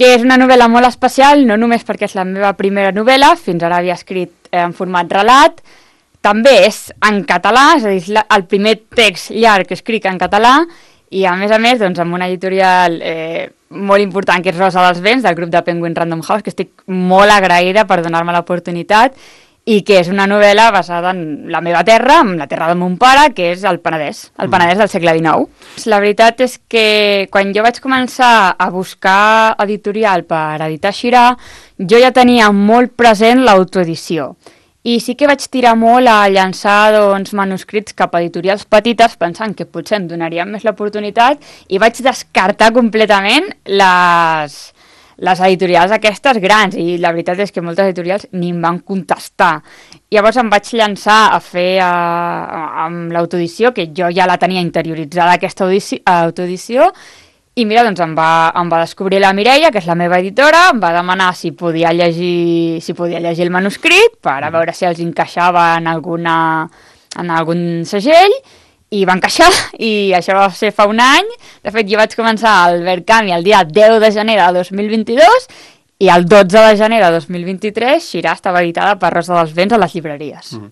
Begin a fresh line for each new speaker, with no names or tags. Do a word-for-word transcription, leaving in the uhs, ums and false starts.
que és una novel·la molt especial, no només perquè és la meva primera novel·la, fins ara havia escrit eh, en format relat, també és en català, és a dir, el primer text llarg que escric en català, i a més a més, doncs, amb una editorial eh, molt important, que és Rosa dels Vents, del grup de Penguin Random House, que estic molt agraïda per donar-me l'oportunitat, i que és una novel·la basada en la meva terra, en la terra del mon pare, que és el Penedès, el Penedès del segle dinou. La veritat és que quan jo vaig començar a buscar editorial per editar Xirà, jo ja tenia molt present l'autoedició. I sí que vaig tirar molt a llançar doncs, manuscrits cap a editorials petites, pensant que potser em donarien més l'oportunitat, i vaig descartar completament les... les editorials aquestes grans, i la veritat és que moltes editorials ni em van contestar. Llavors em vaig llançar a fer a, a, amb l'autoedició, que jo ja la tenia interioritzada, aquesta autoedició, i mira, doncs em va, em va descobrir la Mireia, que és la meva editora, em va demanar si podia llegir, si podia llegir el manuscrit, per a veure si els encaixava en, alguna, en algun segell, i va encaixar, i això va ser fa un any. De fet, jo vaig començar al Verkami el dia deu de gener de dos mil vint-i-dos, i el dotze de gener de dos mil vint-i-tres Xirà estava editada per Rosa dels Vents a les llibreries.
Mm.